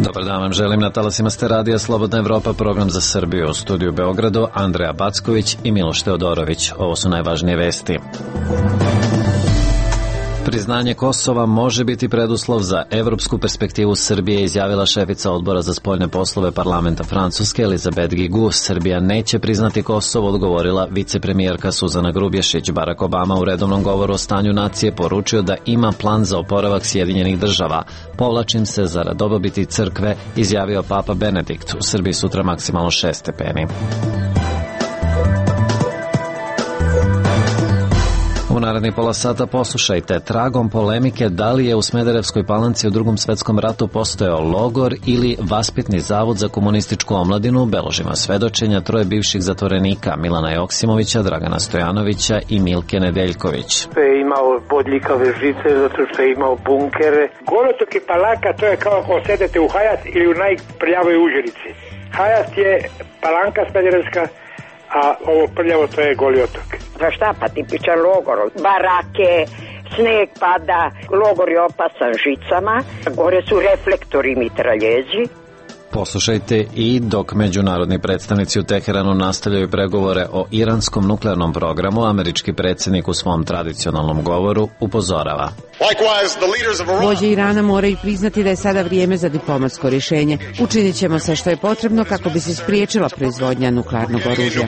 Dobar dan vam želim, na talasima ste radija Slobodna Evropa, program za Srbiju. U studiju Beogradu Andreja Backović i Miloš Teodorović. Ovo su najvažnije vesti. Priznanje Kosova može biti preduslov za evropsku perspektivu Srbije, izjavila šefica odbora za spoljne poslove parlamenta Francuske Elizabeth Guigou. Srbija neće priznati Kosovo, odgovorila vicepremijerka Suzana Grubješić. Barack Obama u redovnom govoru o stanju nacije poručio da ima plan za oporavak Sjedinjenih država. Povlačim se zarad dobrobiti crkve, izjavio Papa Benedikt. U Srbiji sutra maksimalno 6 stepeni. U narednih pola sata poslušajte tragom polemike da li je u Smederevskoj Palanci u Drugom svetskom ratu postojao logor ili vaspitni zavod za komunističku omladinu. Beložima svedočenja troje bivših zatvorenika Milana Joksimovića, Dragana Stojanovića i Milke Nedeljković. Je imao bodljikave žice zato što je imao bunkere. Golotok i Palanka, to je kao ako sedete u Hayat ili u najprljavoj Užerici. Hayat je Palanka Smederevska, a ovo prljavo to je Goli otok. Za šta pa tipičan logor? Barake, sneg pada, logor je opasan žicama, gore su reflektori i mitraljezi. Poslušajte i dok međunarodni predstavnici u Teheranu nastavljaju pregovore o iranskom nuklearnom programu, američki predsjednik u svom tradicionalnom govoru upozorava. Vođe Irana moraju priznati da je sada vrijeme za diplomatsko rješenje. Učinit ćemo sve što je potrebno kako bi se spriječila proizvodnja nuklearnog oružja.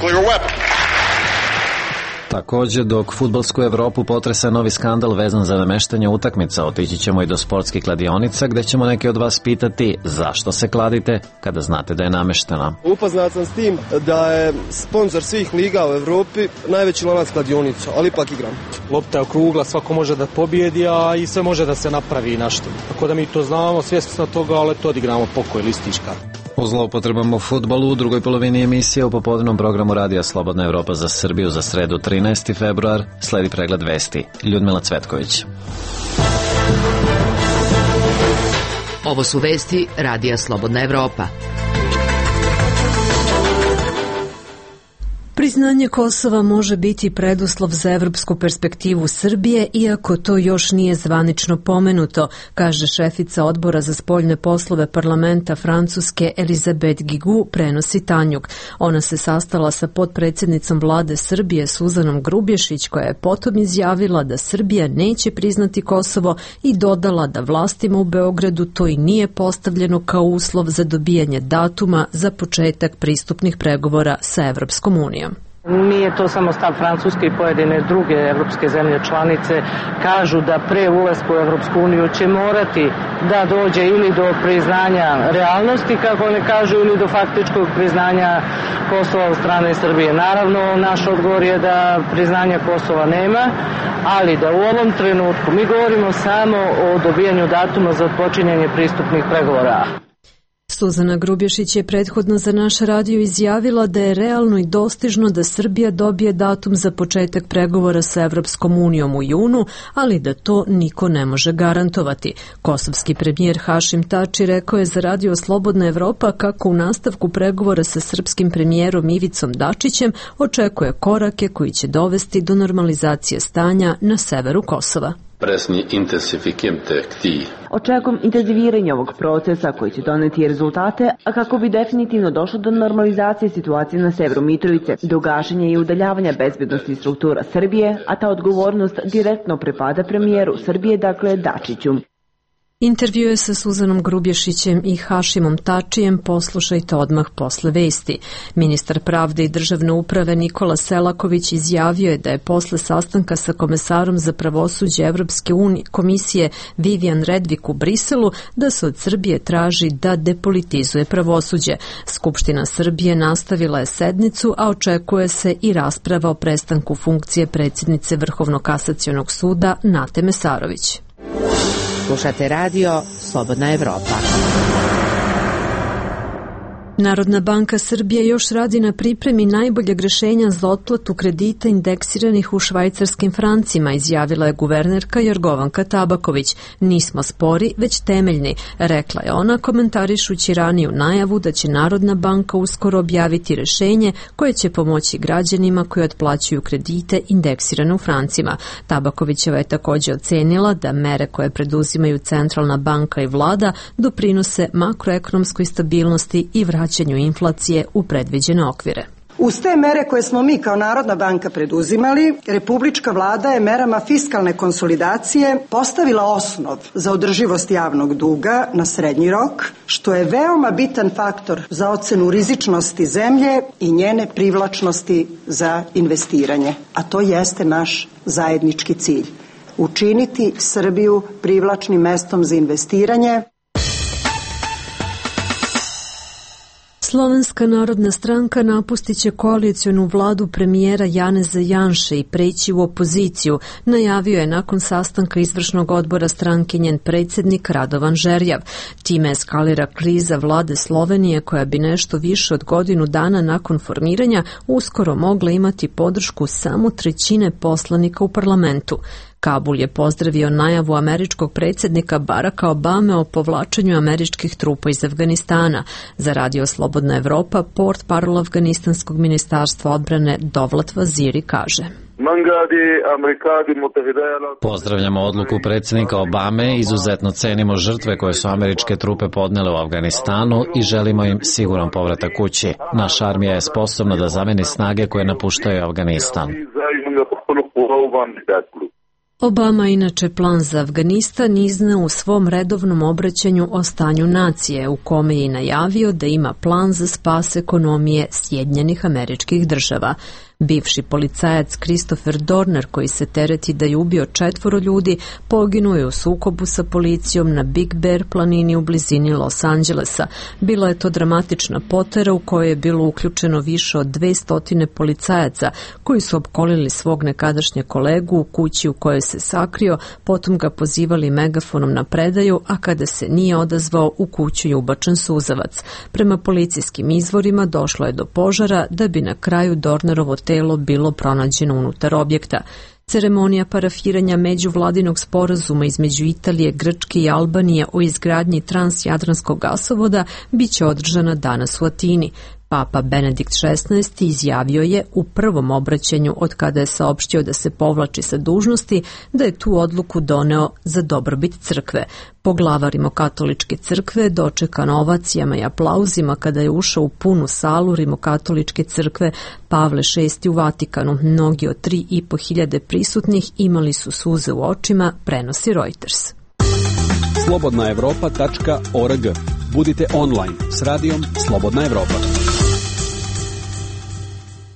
Također, dok fudbalsku Evropu potresa novi skandal vezan za nameštanje utakmica, otići ćemo i do sportskih kladionica gdje ćemo neki od vas pitati zašto se kladite kada znate da je nameštena. Upoznat sam s tim da je sponsor svih liga u Evropi najveći lanac kladionica, ali ipak igram. Lopta je okrugla, svako može da pobjedi, a i sve može da se napravi nešto. Tako da mi to znamo, svjesni smo toga, ali to odigramo pokoj listička. O zloupotrebama u fudbalu u drugoj polovini emisije u popodnevnom programu radija Slobodna Evropa za Srbiju za sredu 13. februar sledi pregled vesti. Ljudmila Cvetković. Ovo su vesti radija Slobodna Evropa. Priznanje Kosova može biti preduslov za evropsku perspektivu Srbije, iako to još nije zvanično pomenuto, kaže šefica odbora za spoljne poslove parlamenta Francuske Elizabeth Guigou, prenosi Tanjug. Ona se sastala sa potpredsjednicom vlade Srbije Suzanom Grubješić, koja je potom izjavila da Srbija neće priznati Kosovo i dodala da vlastima u Beogradu to i nije postavljeno kao uslov za dobijanje datuma za početak pristupnih pregovora sa Evropskom unijom. Nije to samo stav Francuske i pojedine druge evropske zemlje članice. Kažu da pre ulaska u Evropsku uniju će morati da dođe ili do priznanja realnosti, kako ne kažu, ili do faktičkog priznanja Kosova od strane Srbije. Naravno, naš odgovor je da priznanja Kosova nema, ali da u ovom trenutku mi govorimo samo o dobijanju datuma za odpočinjanje pristupnih pregovora. Suzana Grubješić je prethodno za naš radio izjavila da je realno i dostižno da Srbija dobije datum za početak pregovora sa Evropskom unijom u junu, ali da to niko ne može garantovati. Kosovski premijer Hašim Tači rekao je za radio Slobodna Evropa kako u nastavku pregovora sa srpskim premijerom Ivicom Dačićem očekuje korake koji će dovesti do normalizacije stanja na severu Kosova. Očekujem intenziviranje ovog procesa koji će doneti rezultate, a kako bi definitivno došlo do normalizacije situacije na severu Mitrovice, do gašenja i udaljavanja bezbednosti struktura Srbije, a ta odgovornost direktno pripada premijeru Srbije, dakle Dačiću. Intervjue sa Suzanom Grubješićem i Hašimom Tačijem poslušajte odmah posle vesti. Ministar pravde i državne uprave Nikola Selaković izjavio je da je posle sastanka sa komesarom za pravosuđe Evropske komisije Vivian Redvik u Briselu da se od Srbije traži da depolitizuje pravosuđe. Skupština Srbije nastavila je sednicu, a očekuje se i rasprava o prestanku funkcije predsjednice Vrhovnog kasacionog suda Nate Mesarović. Slušate radio Slobodna Evropa. Narodna banka Srbije još radi na pripremi najboljeg rješenja za otplatu kredita indeksiranih u švajcarskim francima, izjavila je guvernerka Jorgovanka Tabaković. Nismo spori, već temeljni, rekla je ona komentarišući raniju najavu da će Narodna banka uskoro objaviti rješenje koje će pomoći građanima koji otplaćuju kredite indeksirane u francima. Tabakovićeva je također ocenila da mere koje preduzimaju Centralna banka i vlada doprinose makroekonomskoj stabilnosti i vraćanju inflacije u predviđene okvire. Uz te mere koje smo mi kao Narodna banka preduzimali, Republička vlada je merama fiskalne konsolidacije postavila osnov za održivost javnog duga na srednji rok, što je veoma bitan faktor za ocenu rizičnosti zemlje i njene privlačnosti za investiranje. A to jeste naš zajednički cilj. Učiniti Srbiju privlačnim mestom za investiranje. Slovenska narodna stranka napustit će koalicionu vladu premijera Janeza Janše i preći u opoziciju, najavio je nakon sastanka izvršnog odbora stranke njen predsjednik Radovan Žerjav. Time eskalira kriza vlade Slovenije koja bi nešto više od godinu dana nakon formiranja uskoro mogla imati podršku samo trećine poslanika u parlamentu. Kabul je pozdravio najavu američkog predsjednika Baracka Obame o povlačenju američkih trupa iz Afganistana. Za Radio Slobodna Evropa, portparol Afganistanskog ministarstva odbrane Dovlat Vaziri kaže: Pozdravljamo odluku predsjednika Obame, izuzetno cenimo žrtve koje su američke trupe podnele u Afganistanu i želimo im siguran povratak kući. Naša armija je sposobna da zameni snage koje napuštaju Afganistan. Obama inače plan za Afganistan izneo u svom redovnom obraćanju o stanju nacije, u kome je najavio da ima plan za spas ekonomije Sjedinjenih Američkih Država. Bivši policajac Christopher Dorner, koji se tereti da je ubio 4 ljudi, poginuo je u sukobu sa policijom na Big Bear planini u blizini Los Angelesa. Bila je to dramatična potera u kojoj je bilo uključeno više od 200 policajaca koji su opkolili svog nekadašnjeg kolegu u kući u kojoj se sakrio, potom ga pozivali megafonom na predaju, a kada se nije odazvao, u kuću je ubačen suzavac. Prema policijskim izvorima došlo je do požara da bi na kraju Dornerovo telo bilo pronađeno unutar objekta. Ceremonija parafiranja međuvladinog sporazuma između Italije, Grčke i Albanije o izgradnji transjadranskog gasovoda biće održana danas u Atini. Papa Benedikt XVI izjavio je u prvom obraćanju od kada je saopštio da se povlači sa dužnosti da je tu odluku doneo za dobrobit crkve. Poglavar Rimokatoličke crkve dočekan ovacijama i aplauzima kada je ušao u punu salu Rimokatoličke crkve Pavle VI u Vatikanu. Mnogi od 3.500 prisutnih imali su suze u očima, prenosi Reuters. slobodnaevropa.org. Budite online s radijom Slobodna Evropa.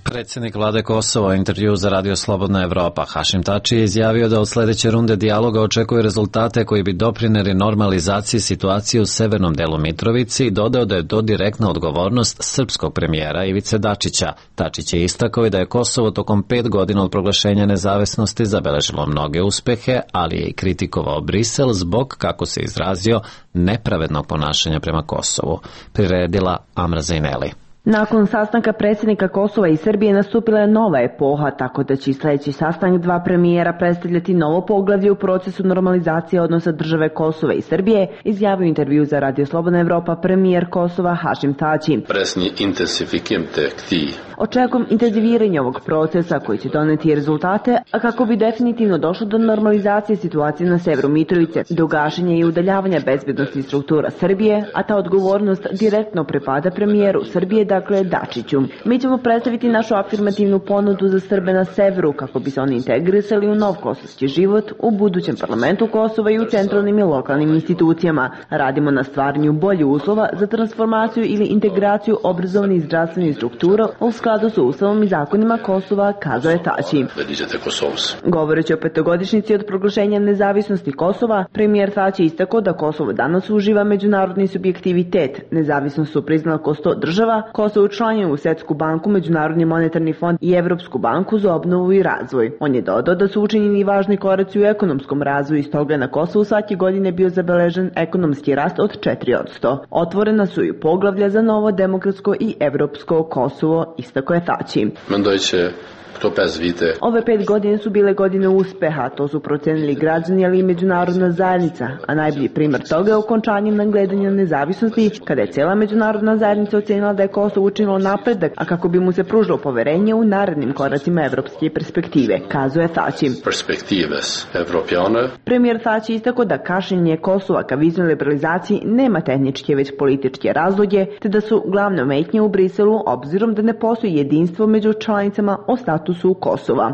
Predsjednik vlade Kosova u intervju za Radio Slobodna Evropa Hašim Tači je izjavio da od sljedeće runde dijaloga očekuje rezultate koji bi doprinijeli normalizaciji situacije u severnom delu Mitrovice i dodao da je to direktna odgovornost srpskog premijera Ivice Dačića. Tačić je istakao i da je Kosovo tokom 5 godina od proglašenja nezavisnosti zabeležilo mnoge uspehe, ali je i kritikovao Brisel zbog, kako se izrazio, nepravednog ponašanja prema Kosovu. Priredila Amra Zaineli. Nakon sastanka predsjednika Kosova i Srbije nastupila je nova epoha, tako da će sljedeći sastanak 2 premijera predstavljati novo poglavlje u procesu normalizacije odnosa države Kosova i Srbije, izjavio intervju za Radio Slobodna Evropa premijer Kosova Hašim Tači. Očekujem intenziviranje ovog procesa koji će doneti rezultate, a kako bi definitivno došlo do normalizacije situacije na severu Mitrovice, do gašenja i udaljavanja bezbednosti struktura Srbije, a ta odgovornost direktno pripada premijeru Srbije, dakle Dačiću. Mi ćemo predstaviti našu afirmativnu ponudu za Srbe na severu kako bi se oni integrisali u nov kosovski život u budućem parlamentu Kosova i u centralnim i lokalnim institucijama. Radimo na stvaranju boljih uslova za transformaciju ili integraciju obrazovnih i zdravstvenih struktura u skladu sa ustavom i zakonima Kosova, kazao je Tači. Govoreći o 5-godišnjici od proglašenja nezavisnosti Kosova, premijer Tači istakao da Kosovo danas uživa međunarodni subjektivitet. Nezavisnost su priznala oko 100 država, Kosovo učlanjuje u Svetsku banku, Međunarodni monetarni fond i Evropsku banku za obnovu i razvoj. On je dodao da su učinjeni važni koraci u ekonomskom razvoju i stoga je na Kosovu svake godine bio zabeležen ekonomski rast od 4%. Otvorena su i poglavlja za novo demokratsko i evropsko Kosovo, istakao je Thaci. Ove 5 godine su bile godine uspeha, to su procenili građani, ali i međunarodna zajednica, a najbolji primer toga je okončanje nadgledanja nezavisnosti, kada je cijela međunarodna zajednica ocenila da je Kosovo učinilo napredak, a kako bi mu se pružilo poverenje u narednim koracima evropske perspektive, kazuje Thaci. Premijer Thaci istakao da kašnjenje Kosova ka viznoj liberalizaciji nema tehničke već političke razloge, te da su glavne ometnje u Briselu obzirom da ne postoji jedinstvo među članicama o statusu Kosova.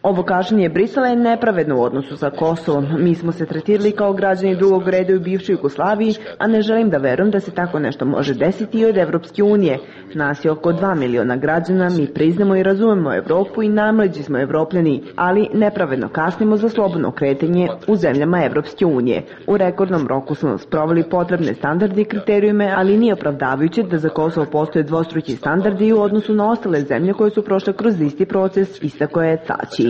Ovo kašnjenje Brisela je nepravedno u odnosu sa Kosovom. Mi smo se tretirali kao građani drugog reda u bivšoj Jugoslaviji, a ne želim da verujem da se tako nešto može desiti i od Evropske unije. Nas je oko 2 miliona građana, mi priznamo i razumemo Evropu i najmlađi smo Evropljani, ali nepravedno kasnimo za slobodno kretanje u zemljama Evropske unije. U rekordnom roku smo sproveli potrebne standarde i kriterijume, ali nije opravdavajuće da za Kosovo postoje dvostruki standardi u odnosu na ostale zemlje koje su prošle kroz isti proces, istakao je Thaci.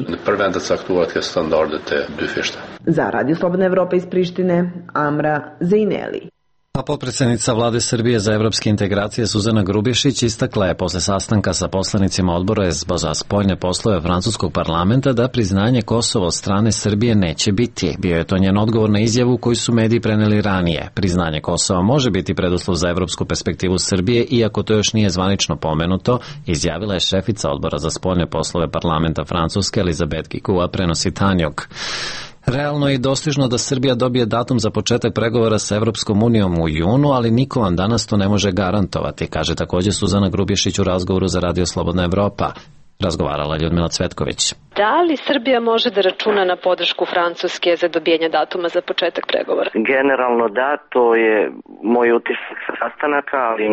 Za Radio Slobodna Evropa iz Prištine, Amra Zejneli. A potpredsjednica Vlade Srbije za evropske integracije Suzana Grubješić istakla je posle sastanka sa poslanicima odbora za spoljne poslove francuskog parlamenta da priznanje Kosova od strane Srbije neće biti. Bio je to njen odgovor na izjavu koju su mediji preneli ranije. Priznanje Kosova može biti preduslov za evropsku perspektivu Srbije, iako to još nije zvanično pomenuto, izjavila je šefica odbora za spoljne poslove parlamenta Francuske Elizabeth Guigua, prenosi Tanjog. Realno je i dostižno da Srbija dobije datum za početak pregovora sa Evropskom unijom u junu, ali niko vam danas to ne može garantovati, kaže također Suzana Grubješić u razgovoru za Radio Slobodna Evropa. Razgovarala je Ljudmila Cvetković. Da li Srbija može da računa na podršku Francuske za dobijenje datuma za početak pregovora? Generalno da, to je moj utisak sa sastanaka, ali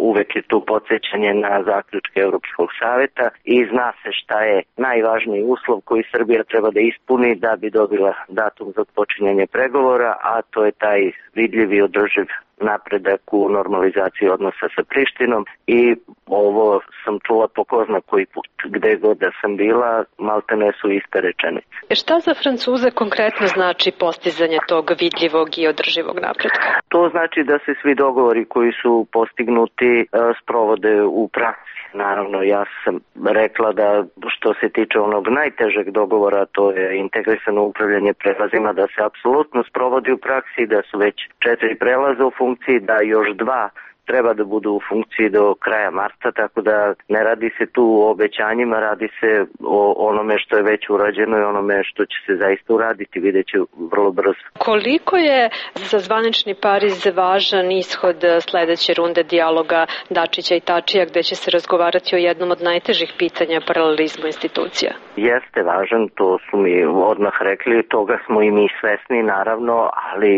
uvek je tu podsjećanje na zaključke Europskog saveta i zna se šta je najvažniji uslov koji Srbija treba da ispuni da bi dobila datum za počinjanje pregovora, a to je taj vidljiv i održiv napredak u normalizaciji odnosa sa Prištinom i ovo sam čula po ko zna koji put. Gde god da sam bila, maltene su iste rečenice. Šta za Francuze konkretno znači postizanje tog vidljivog i održivog napretka? To znači da se svi dogovori koji su postignuti sprovode u praksi. Naravno, ja sam rekla da što se tiče onog najtežeg dogovora, to je integrisano upravljanje prelazima, da se apsolutno sprovodi u praksi, da su već 4 prelaza u funkciji, da još 2 treba da budu u funkciji do kraja marta, tako da ne radi se tu o obećanjima, radi se o onome što je već urađeno i onome što će se zaista uraditi, vidjet će vrlo brzo. Koliko je za zvanični Pariz važan ishod sledeće runde dijaloga Dačića i Tačija, gde će se razgovarati o jednom od najtežih pitanja paralelizmu institucija? Jeste važan, to su mi odmah rekli, toga smo i mi svesni naravno, ali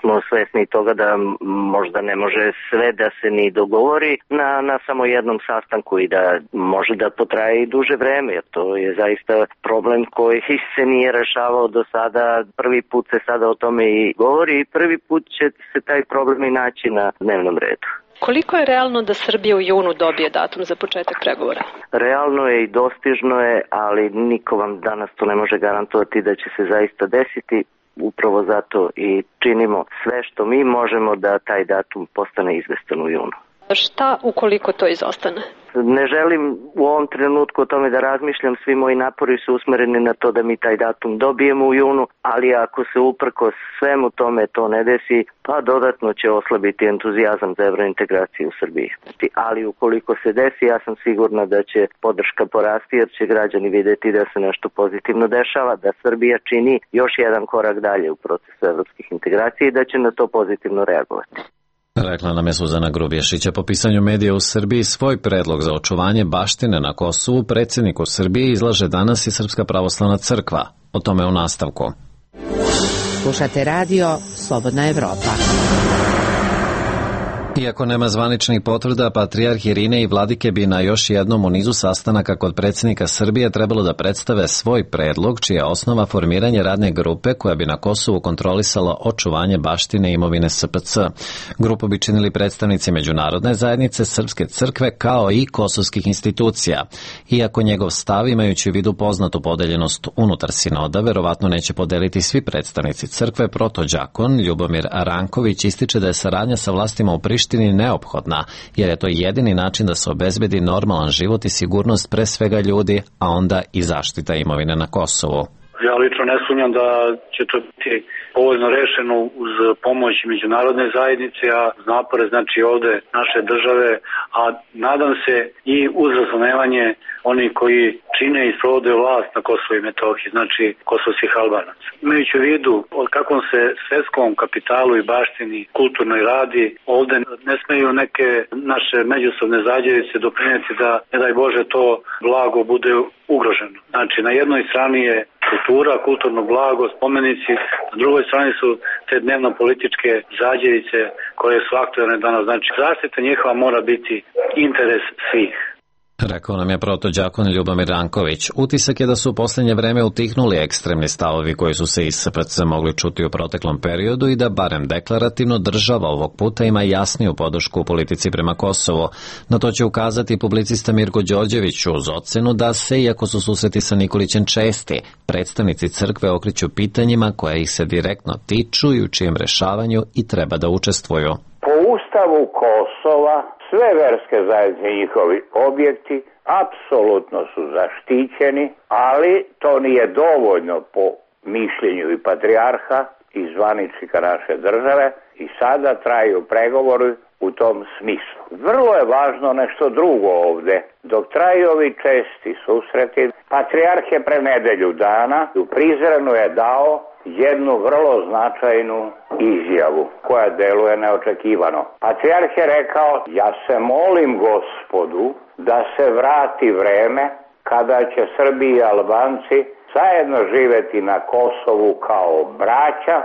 smo svesni toga da možda ne može sve da se ni dogovori na samo jednom sastanku i da može da potraje i duže vreme, jer to je zaista problem koji se nije rešavao do sada. Prvi put se sada o tome i govori i prvi put će se taj problem i naći na dnevnom redu. Koliko je realno da Srbija u junu dobije datum za početak pregovora? Realno je i dostižno je, ali niko vam danas to ne može garantovati da će se zaista desiti. Upravo zato i činimo sve što mi možemo da taj datum postane izvestan u junu. Šta ukoliko to izostane? Ne želim u ovom trenutku o tome da razmišljam, svi moji napori su usmereni na to da mi taj datum dobijemo u junu, ali ako se uprkos svemu tome to ne desi, pa dodatno će oslabiti entuzijazam za evrointegraciju u Srbiji. Ali ukoliko se desi, ja sam sigurna da će podrška porasti jer će građani videti da se nešto pozitivno dešava, da Srbija čini još jedan korak dalje u procesu evropskih integracija i da će na to pozitivno reagovati. Rekla nam je Suzana Grubješić. Po pisanju medija u Srbiji svoj predlog za očuvanje baštine na Kosovu predsjedniku Srbije izlaže danas i Srpska pravoslavna crkva. O tome u nastavku. Slušate radio Slobodna Evropa. Iako nema zvaničnih potvrda, patrijarh Irine i vladike bi na još jednom u nizu sastanaka kod predsjednika Srbije trebalo da predstave svoj predlog, čija je osnova formiranje radne grupe koja bi na Kosovu kontrolisala očuvanje baštine i imovine SPC. Grupu bi činili predstavnici međunarodne zajednice, Srpske crkve kao i kosovskih institucija. Iako njegov stav, imajući u vidu poznatu podeljenost unutar sinoda, verovatno neće podeliti svi predstavnici crkve, protođakon Ljubomir Ranković ističe da je saradnja sa vlastima u Prištini neophodna, jer je to jedini način da se obezbedi normalan život i sigurnost pre svega ljudi, a onda i zaštita imovine na Kosovu. Ja lično ne sumnjam da će to biti povoljno rešeno uz pomoć međunarodne zajednice, a napore znači ovde naše države, a nadam se i uz razumevanje oni koji čine i sprovode vlast na Kosovu i Metohiji, znači kosovskih Albanaca. Imajući u vidu o kakvom se svetskom kapitalu i baštini kulturnoj radi, ovde ne smeju neke naše međusobne zajednice doprineti da, ne daj Bože, to blago bude ugroženo. Znači, na jednoj strani je kultura, kulturno blago, spomenici, na drugoj strani su te dnevno-političke zajednice koje su aktualne danas. Znači, zaštita njihova mora biti interes svih. Rekao nam je protođakon Ljubomir Ranković. Utisak je da su u posljednje vreme utihnuli ekstremni stavovi koji su se iz SPC mogli čuti u proteklom periodu i da barem deklarativno država ovog puta ima jasniju podršku u politici prema Kosovu. Na to će ukazati publicista Mirko Đorđević uz ocenu da se, iako su susreti sa Nikolićem česti, predstavnici crkve okreću pitanjima koja ih se direktno tiču i u čijem rešavanju i treba da učestvuju. Po Ustavu Kosova sve verske zajednice i njihovi objekti apsolutno su zaštićeni, ali to nije dovoljno po mišljenju i patrijarha i zvaničnika naše države i sada traju pregovori u tom smislu. Vrlo je važno nešto drugo ovde. Dok traju ovi česti susreti, patrijarh je pre nedelju dana u Prizrenu je dao jednu vrlo značajnu izjavu koja deluje neočekivano. Patrijarh je rekao: ja se molim Gospodu da se vrati vreme kada će Srbi i Albanci zajedno živeti na Kosovu kao braća.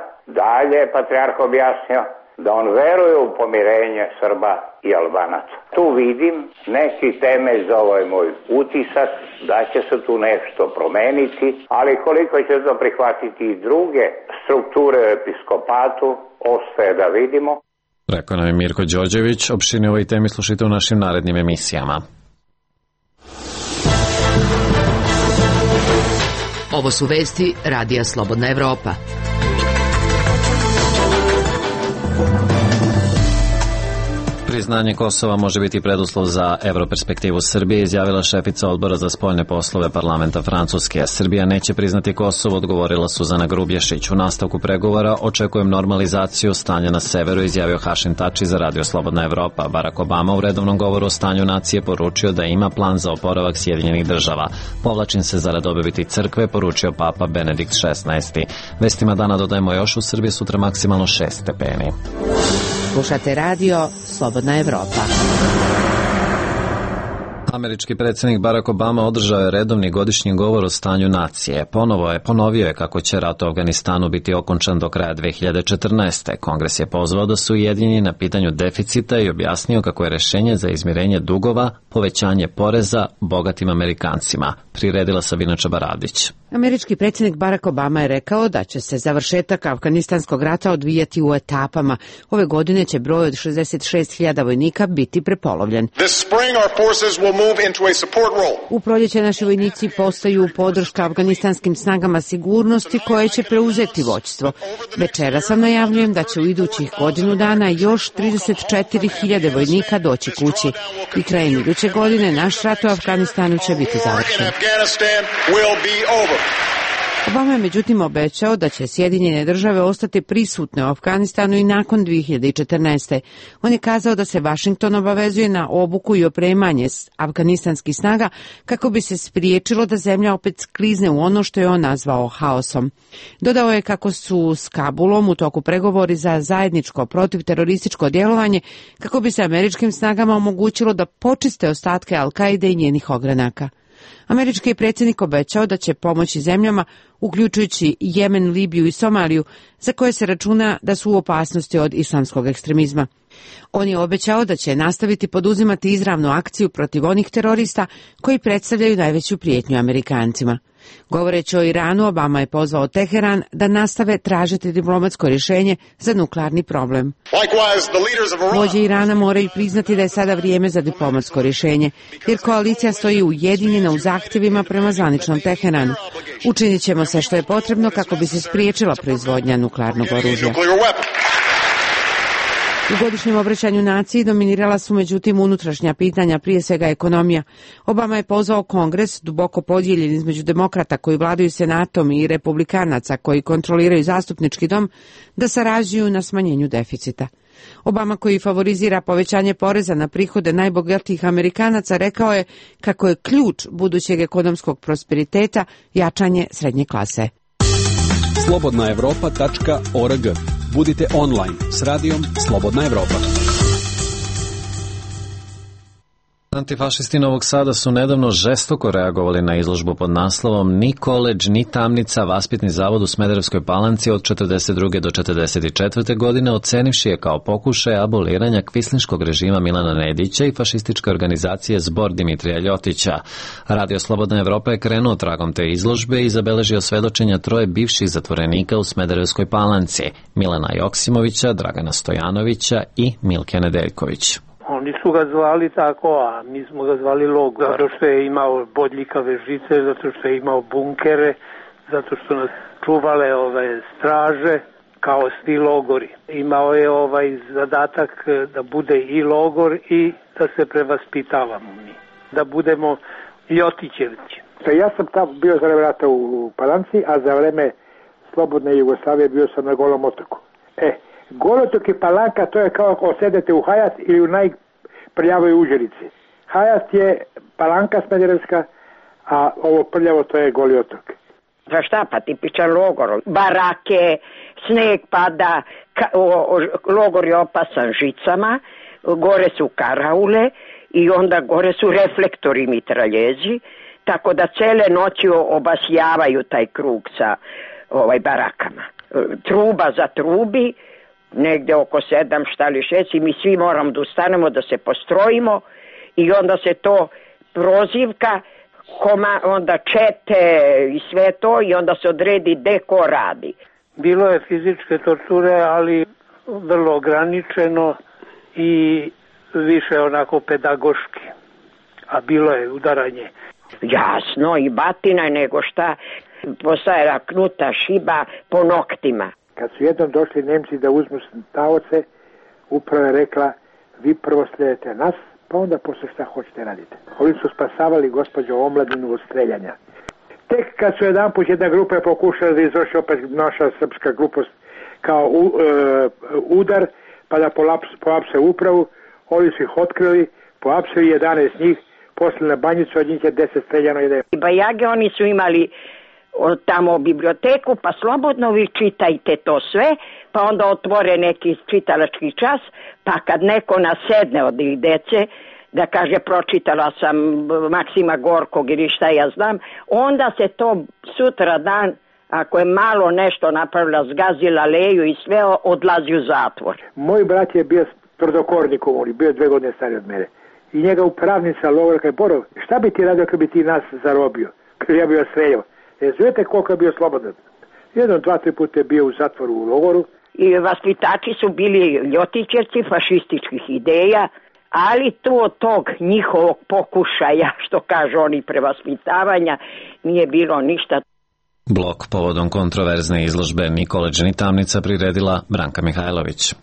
Dalje je patrijarh objasnio da on veruje u pomirenje Srba i Albanaca. Tu vidim neki temelj za ovaj moj utisak da će se tu nešto promeniti, ali koliko će to prihvatiti i druge strukture u episkopatu, ostaje da vidimo. Rekao nam je Mirko Đorđević. Opširnije ovoj temi slušajte u našim narednim emisijama. Ovo su vesti Radija Slobodna Evropa. Priznanje Kosova može biti preduslov za evroperspektivu Srbije, izjavila šefica odbora za spoljne poslove parlamenta Francuske. Srbija neće priznati Kosovo, odgovorila Suzana Grubješić. U nastavku pregovora očekujem normalizaciju stanja na severu, izjavio Hašim Tači za Radio Slobodna Evropa. Barack Obama u redovnom govoru o stanju nacije poručio da ima plan za oporavak Sjedinjenih država. Povlačim se zarad obaviti crkve, poručio papa Benedikt XVI. Vestima dana dodajemo još: u Srbiji sutra maksimalno 6 stepeni. Slušate radio Slobodna Evropa. Američki predsjednik Barack Obama održao je redovni godišnji govor o stanju nacije. Ponovio je kako će rat u Afganistanu biti okončan do kraja 2014. Kongres je pozvao da su ujedinjeni na pitanju deficita i objasnio kako je rešenje za izmirenje dugova povećanje poreza bogatim Amerikancima. Priredila Sabina Čabaradić. Američki predsjednik Barack Obama je rekao da će se završetak Afganistanskog rata odvijati u etapama. Ove godine će broj od 66.000 vojnika biti prepolovljen. U proljeće naši vojnici postaju podrška afganistanskim snagama sigurnosti koje će preuzeti vođstvo. Večera sam najavljujem da će u idućih godinu dana još 34.000 vojnika doći kući i krajem iduće godine naš rat u Afganistanu će biti završen. Obama je međutim obećao da će Sjedinjene države ostati prisutne u Afganistanu i nakon 2014. On je kazao da se Vašington obavezuje na obuku i opremanje afganistanskih snaga kako bi se spriječilo da zemlja opet sklizne u ono što je on nazvao haosom. Dodao je kako su s Kabulom u toku pregovori za zajedničko protivterorističko djelovanje kako bi se američkim snagama omogućilo da počiste ostatke Al-Kaide i njenih ogranaka. Američki je predsjednik obećao da će pomoći zemljama, uključujući Jemen, Libiju i Somaliju, za koje se računa da su u opasnosti od islamskog ekstremizma. On je obećao da će nastaviti poduzimati izravnu akciju protiv onih terorista koji predstavljaju najveću prijetnju Amerikancima. Govoreći o Iranu, Obama je pozvao Teheran da nastave tražiti diplomatsko rješenje za nuklearni problem. Vođe Irana moraju priznati da je sada vrijeme za diplomatsko rješenje, jer koalicija stoji ujedinjena u zahtjevima prema zvaničnom Teheranu. Učinit ćemo sve što je potrebno kako bi se spriječila proizvodnja nuklearnog oružja. U godišnjem obraćanju naciji dominirala su međutim unutrašnja pitanja, prije svega ekonomija. Obama je pozvao Kongres, duboko podijeljen između demokrata koji vladaju senatom i republikanaca koji kontroliraju zastupnički dom, da sarađuju na smanjenju deficita. Obama, koji favorizira povećanje poreza na prihode najbogatijih Amerikanaca, rekao je kako je ključ budućeg ekonomskog prosperiteta jačanje srednje klase. Slobodnaevropa.org. Budite online s radijom Slobodna Evropa. Antifašisti Novog Sada su nedavno žestoko reagovali na izložbu pod naslovom Ni koledž, ni tamnica, vaspitni zavod u Smederevskoj Palanci od 42. do 44. godine, ocenivši je kao pokušaj aboliranja kvislinškog režima Milana Nedića i fašističke organizacije Zbor Dimitrija Ljotića. Radio Slobodna Evropa je krenuo tragom te izložbe i zabeležio svedočenja troje bivših zatvorenika u Smederevskoj Palanci, Milana Joksimovića, Dragana Stojanovića i Milke Nedeljković. Oni su ga zvali tako, a mi smo ga zvali logor, zato što je imao bodljikave žice, zato što je imao bunkere, zato što nas čuvale straže, kao svi logori. Imao je zadatak da bude i logor i da se prevaspitavamo mi, da budemo Ljotićevci. Ja sam tamo bio za vreme rata u Palanci, a za vreme slobodne Jugoslavije bio sam na Golom otoku. Golotok i Palanka, to je kao ako sedete u Hajas ili u najprljavoj Užerici. Hajas je Palanka Smederevska, a ovo prljavo to je Goli otok. Za šta pa tipičan logor? Barake, sneg pada, logor je opasan žicama, gore su karaule i onda gore su reflektori mitraljezi, tako da cele noći obasjavaju taj krug sa barakama. Truba za trubi, negde oko 7 šta li 6 i mi svi moramo da ustanemo, da se postrojimo i onda se to prozivka, onda čete i sve to i onda se odredi gde ko radi. Bilo je fizičke torture, ali vrlo ograničeno i više onako pedagoški, a bilo je udaranje. Jasno, i batina nego šta, postaje knuta šiba po noktima. Kad su jednom došli Nemci da uzmu taoce, upravo je rekla, vi prvo slijedite nas, pa onda posle šta hoćete raditi. Oni su spasavali gospođo omladinu od streljanja. Tek kad su jedanput jedna grupa je pokušala da izvrši opet naša srpska grupa kao udar, pa da poapse upravu, oni su ih otkrili, poapsili 11 njih, posle na banjicu, od njih je 10 streljano. Bajage oni su imali tamo biblioteku, pa slobodno vi čitajte to sve, pa onda otvore neki čitalački čas, pa kad neko nasedne od ih dece, da kaže pročitala sam Maksima Gorkog ili šta ja znam, onda se to sutra dan, ako je malo nešto napravila, zgazila leju i sve, odlazi u zatvor. Moj brat je bio tvrdokornik, bio 2 godine stari od mene. I njega upravnica logora kaže, Borov, šta bi ti radio kad bi ti nas zarobio? Kad ja bio streljao. Znate koliko je bio slobodan? 1, 2, 3 puta je bio u zatvoru u logoru. I vaspitači su bili ljotićevci fašističkih ideja, ali to od tog njihovog pokušaja, što kažu oni, prevaspitavanja, nije bilo ništa. Blok povodom kontroverzne izložbe Ni koledž, ni tamnica priredila Branka Mihajlović.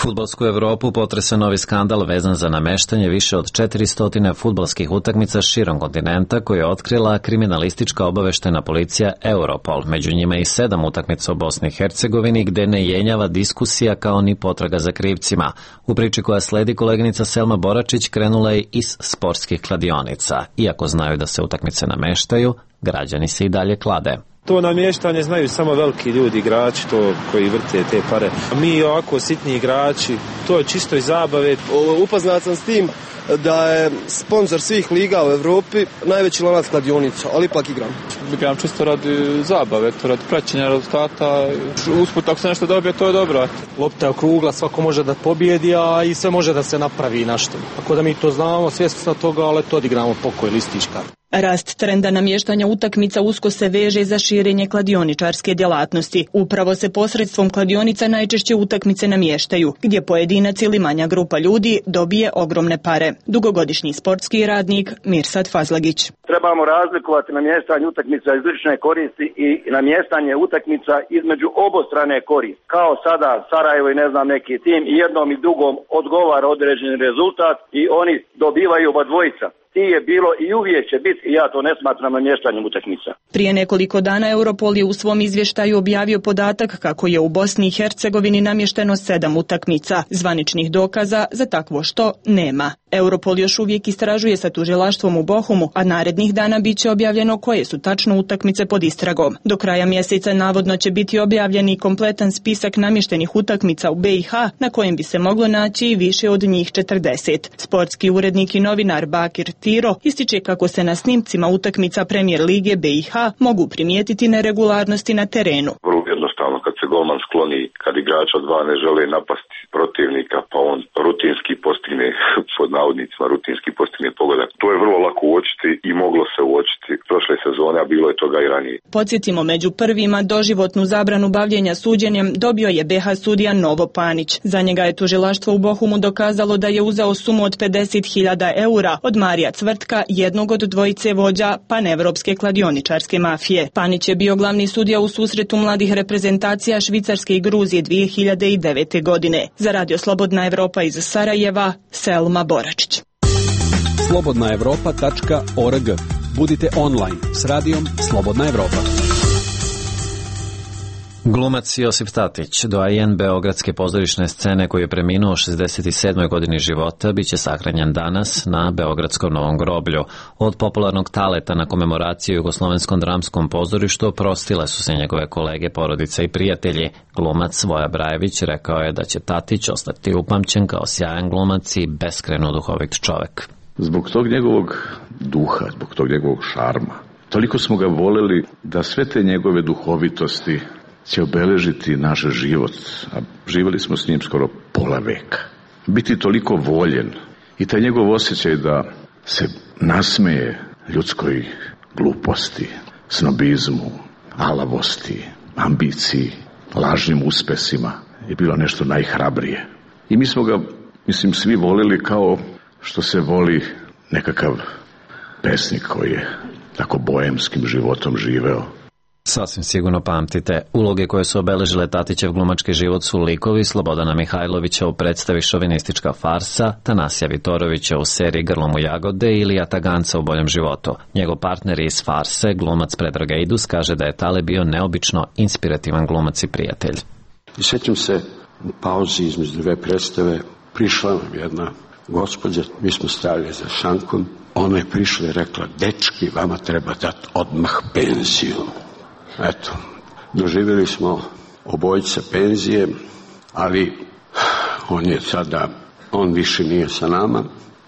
Fudbalsku Evropu potresa novi skandal vezan za nameštanje više od 400 fudbalskih utakmica širom kontinenta koje je otkrila kriminalistička obaveštena policija Europol, među njima i 7 utakmica u Bosni i Hercegovini gde ne jenjava diskusija kao ni potraga za krivcima. U priči koja sledi koleginica Selma Boračić krenula je iz sportskih kladionica. Iako znaju da se utakmice nameštaju, građani se i dalje klade. To namještanje znaju samo veliki ljudi, igrači, to koji vrte te pare. Mi ovako sitni igrači, to je čisto iz zabave. Upoznat sam s tim da je sponsor svih liga u Evropi najveći lanac kladionica, ali ipak igram. Igram čisto radi zabave, radi praćenja rezultata. Usput, ako se nešto dobije, to je dobro. Lopta je okrugla, svako može da pobjedi, a i sve može da se napravi nešto. Tako da mi to znamo, svjesni smo toga, ali to odigramo pokoj listička. Rast trenda namještanja utakmica usko se veže za širenje kladioničarske djelatnosti. Upravo se posredstvom kladionica najčešće utakmice namještaju, gdje pojedinac ili manja grupa ljudi dobije ogromne pare. Dugogodišnji sportski radnik Mirsad Fazlagić. Trebamo razlikovati namještanje utakmica iz lične koristi i namještanje utakmica između obostrane koristi. Kao sada Sarajevo i ne znam neki tim i jednom i drugom odgovara određeni rezultat i oni dobivaju oba dvojica. Ti je bilo i uvijek će biti i ja to ne smatram namještanjem utakmica. Prije nekoliko dana Europol je u svom izvještaju objavio podatak kako je u Bosni i Hercegovini namješteno 7 utakmica. Zvaničnih dokaza za takvo što nema. Europol još uvijek istražuje sa tužilaštvom u Bohumu, a narednih dana bit će objavljeno koje su tačno utakmice pod istragom. Do kraja mjeseca navodno će biti objavljen i kompletan spisak namještenih utakmica u BiH, na kojem bi se moglo naći i više od njih 40. Sportski urednik i novinar Bakir Tiro ističe kako se na snimcima utakmica Premijer Lige BiH mogu primijetiti neregularnosti na terenu. Vrlo jednostavno, kad se golman skloni, kad igrač od dva ne žele napasti protivnika, pa on rutinski postigne, pod navodnicima, rutinski postigne pogodak. To je vrlo lako uočiti i moglo se uočiti prošle sezone, a bilo je toga i ranije. Podsjetimo, među prvima doživotnu zabranu bavljenja suđenjem dobio je BiH sudija Novo Panić. Za njega je tužilaštvo u Bohumu dokazalo da je uzeo sumu od 50.000 eura od Marija Cvrtka, jednog od dvojice vođa panevropske kladioničarske mafije. Panić je bio glavni sudija u susretu mladih reprezentacija Švicarske i Gruzije 2009. godine. Za Radio Slobodna Evropa iz Sarajeva, Selma Boračić. slobodnaevropa.org. Budite online s radijom Slobodna Evropa. Glumac Josip Tatić, doajen beogradske pozorišne scene koji je preminuo u 67. godini života, bit će sahranjen danas na Beogradskom Novom groblju. Od popularnog taleta na komemoraciju Jugoslovenskom dramskom pozorištu oprostile su se njegove kolege, porodica i prijatelji. Glumac Voja Brajević rekao je da će Tatić ostati upamćen kao sjajan glumac i beskrajno duhovit čovek. Zbog tog njegovog duha, zbog tog njegovog šarma, toliko smo ga voleli da sve te njegove duhovitosti će obeležiti naš život, a živjeli smo s njim skoro pola veka. Biti toliko voljen i taj njegov osjećaj da se nasmeje ljudskoj gluposti, snobizmu, alavosti, ambiciji, lažnim uspesima je bilo nešto najhrabrije. I mi smo ga, mislim, svi volili kao što se voli nekakav pesnik koji je tako boemskim životom živeo. Sasvim sigurno pamtite. Uloge koje su obeležile Tatićev glumački život su likovi Slobodana Mihajlovića u predstavi Šovinistička farsa, Tanasija Vitorovića u seriji Grlom u jagode ili Ataganca u boljem životu. Njegov partner iz farse, glumac Predrag Eidus, kaže da je Tale bio neobično inspirativan glumac i prijatelj. I sjećam se u pauzi između dve predstave prišla nam jedna gospođa, mi smo stajali za šankom, ona je prišla i rekla: dečki, vama treba dati odmah penziju. Eto, doživjeli smo obojica penzije, ali on više nije sa nama.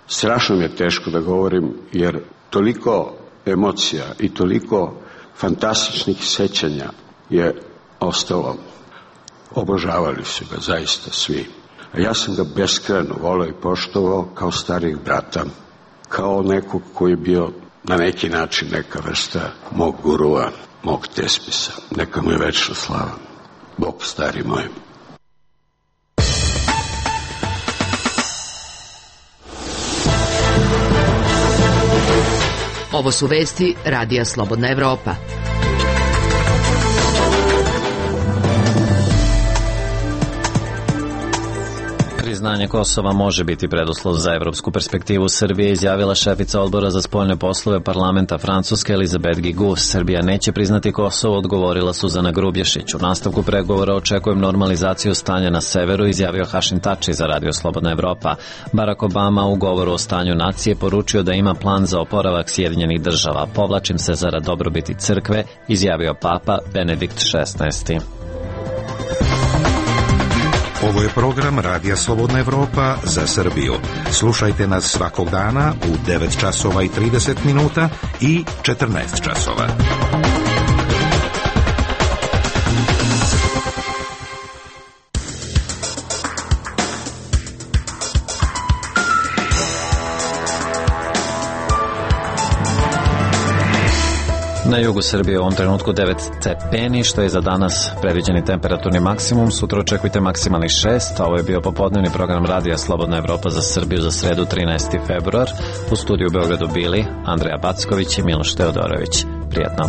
Strašno mi je teško da govorim, jer toliko emocija i toliko fantastičnih sećanja je ostalo. Obožavali su ga zaista svi. A ja sam ga beskrajno voleo i poštovao kao starijeg brata, kao nekog koji je bio na neki način neka vrsta mog gurua, mog tespisa. Neka mu je večna slava. Bog stari moj. Ovo su vesti Radija Slobodna Evropa. Priznanje Kosova može biti preduslov za evropsku perspektivu Srbije, izjavila šefica odbora za spoljne poslove parlamenta Francuske Elizabeth Guigou. Srbija neće priznati Kosovo, odgovorila Suzana Grubješić. U nastavku pregovora očekujem normalizaciju stanja na severu, izjavio Hašim Tači za Radio Slobodna Evropa. Barack Obama u govoru o stanju nacije poručio da ima plan za oporavak Sjedinjenih država. Povlačim se zarad dobrobiti crkve, izjavio Papa Benedikt XVI. Ovo je program Radija Slobodna Evropa za Srbiju. Slušajte nas svakog dana u 9 časova i 30 minuta i 14 časova. Na jugu Srbije u ovom trenutku 9 stepeni, što je za danas predviđeni temperaturni maksimum. Sutra očekujte maksimalnih 6, a ovo je bio popodnevni program Radija Slobodna Evropa za Srbiju za sredu 13. februar. U studiju u Beogradu bili Andreja Backović i Miloš Teodorović. Prijatno.